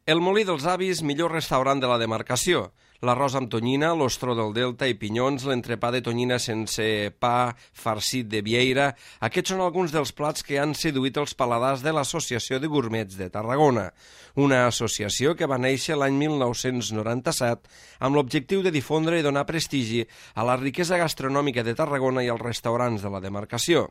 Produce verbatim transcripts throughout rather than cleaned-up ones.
El Molí dels Avis, millor restaurant de la demarcació. L'arròs amb tonyina, l'ostró del Delta i pinyons, l'entrepà de tonyina sense pa, farcit de vieira... Aquests són alguns dels plats que han seduït els paladars de l'Associació de Gourmets de Tarragona, una associació que va néixer l'any mil nou-cents noranta-set amb l'objectiu de difondre i donar prestigi a la riquesa gastronòmica de Tarragona i als restaurants de la demarcació.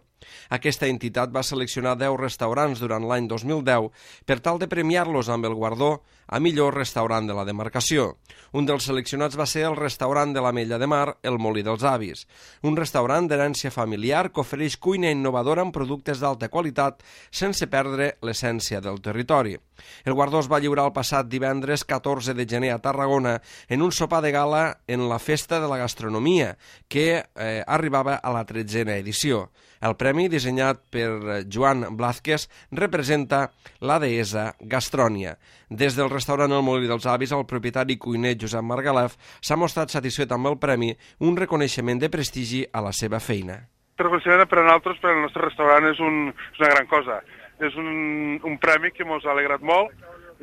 Aquesta entitat va seleccionar deu restaurants durant l'any dos mil deu per tal de premiar-los amb el guardó a millor restaurant de la demarcació. Un dels seleccionats va ser el restaurant de l'Ametlla de Mar, el Molí dels Avis, un restaurant d'herència familiar que ofereix cuina innovadora amb productes d'alta qualitat sense perdre l'essència del territori. El guardó es va lliurar el passat divendres catorze de gener a Tarragona en un sopar de gala en la Festa de la Gastronomia, que eh, arribava a la tretzena edició. El premi, dissenyat per Joan Blázquez, representa la deessa Gastrònia. Des del restaurant El Molí dels Avis, el propietari cuiner Josep Margalef s'ha mostrat satisfet amb el premi, un reconeixement de prestigi a la seva feina. El reconeixement per a nosaltres, per al nostre restaurant, és, un, és una gran cosa. És un, un premi que ens ha alegrat molt,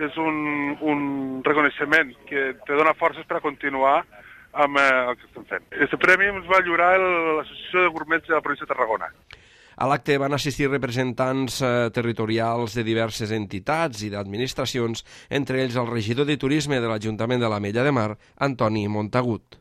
és un, un reconeixement que te dona forces per a continuar amb eh, el que estem fent. Aquest premi ens va lliurar l'Associació de Gourmets de la província de Tarragona. A l'acte van assistir representants eh, territorials de diverses entitats i d'administracions, entre ells el regidor de Turisme de l'Ajuntament de l'Ametlla de Mar, Antoni Montagut.